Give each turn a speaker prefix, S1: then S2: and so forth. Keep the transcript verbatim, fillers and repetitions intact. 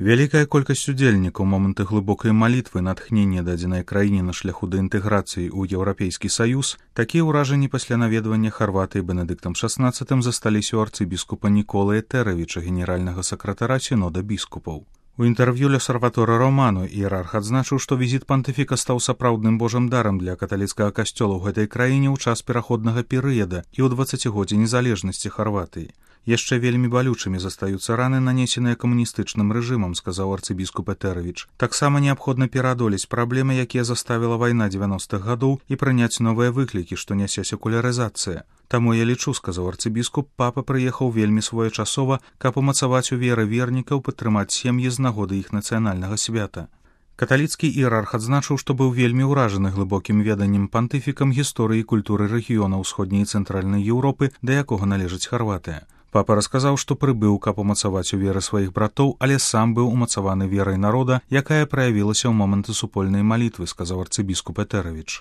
S1: Вялікая колькасць удзельнікаў моманты глыбокай малітвы натхнення дадзенай краіне на шляху да інтэграцыі ў Еўрапейскі саюз, такія ўражанні пасля наведвання Харватыі Бенедыктам шаснаццатым засталіся ў арцыбіскупа Ніколы Этэравіча, генеральнага сакратара сінода біскупаў. У інтэрв'ю «L'Osservatore Romano» іерарх адзначыў, што візіт пантыфіка стаў сапраўдным божым дарам для каталіцкага касцёла ў гэтай краіне ў час пераходнага перыяда і ў дваццацігоддзе незалежнасці Харватыі. Яшчэ вельмі балючымі застаюцца раны, нанесеныя камуністычным рэжымам, сказаў арцыбіскуп Этэравіч. Таксама неабходна пераадолець праблемы, якія заставіла вайна дзевяностых гадоў, і прыняць новыя выклікі, што нясе секулярызацыя. Таму я лічу, сказаў арцыбіскуп, папа прыехаў вельмі своечасова, каб умацаваць у веры вернікаў, падтрымаць сем'і з нагоды іх нацыянальнага свята. Каталіцкі іерарх адзначыў, што быў вельмі ўражаны глыбокім веданнем пантыфікам гісторыі і культуры рэгіёна ўсходняй і цэнтральнай Еўропы, да якога належыць Харватыя. Папа расказаў, што прыбыў, каб умацаваць у веры сваіх братоў, але сам быў умацаваны верай народа, якая праявілася ў моманты супольнай малітвы, сказаў арцыбіскуп Этэравіч.